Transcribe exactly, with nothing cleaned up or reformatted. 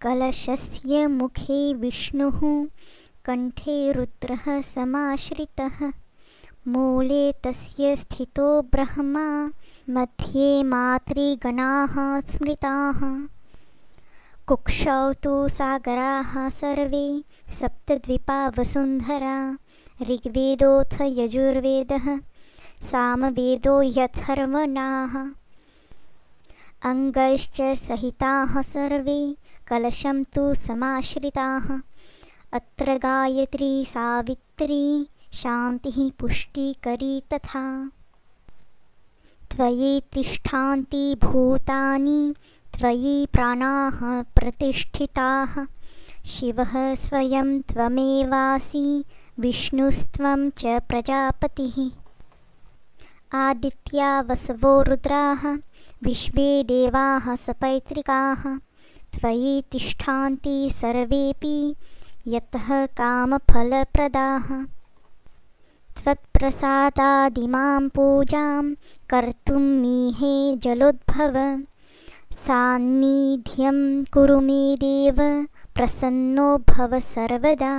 कलशस्य मुखे विष्णुः कण्ठे रुद्रः समाश्रितः मूले तस्य स्थितो ब्रह्मा मध्ये मातृगणाः स्मृताः कुक्षौ तु सागराः सर्वे सप्तद्वीपा वसुन्धरा ऋग्वेदोऽथ यजुर्वेदः सामवेदो यथर्वणाः अङ्गैश्च सहिताः सर्वे कलशं तु समाश्रिताः अत्र गायत्री सावित्री शान्तिः पुष्टिकरी तथा त्वयि तिष्ठान्ति भूतानि त्वयि प्राणाः प्रतिष्ठिताः शिवः स्वयं त्वमेवासि विष्णुस्त्वं च प्रजापतिः आदित्या वसवो रुद्राः विश्वे देवाः सपैत्रिकाः त्वयि तिष्ठान्ति सर्वेऽपि यतः कामफलप्रदाः त्वत्प्रसादादिमां पूजां कर्तुं मीहे जलोद्भव सान्निध्यं कुरु मे देव प्रसन्नो भव सर्वदा।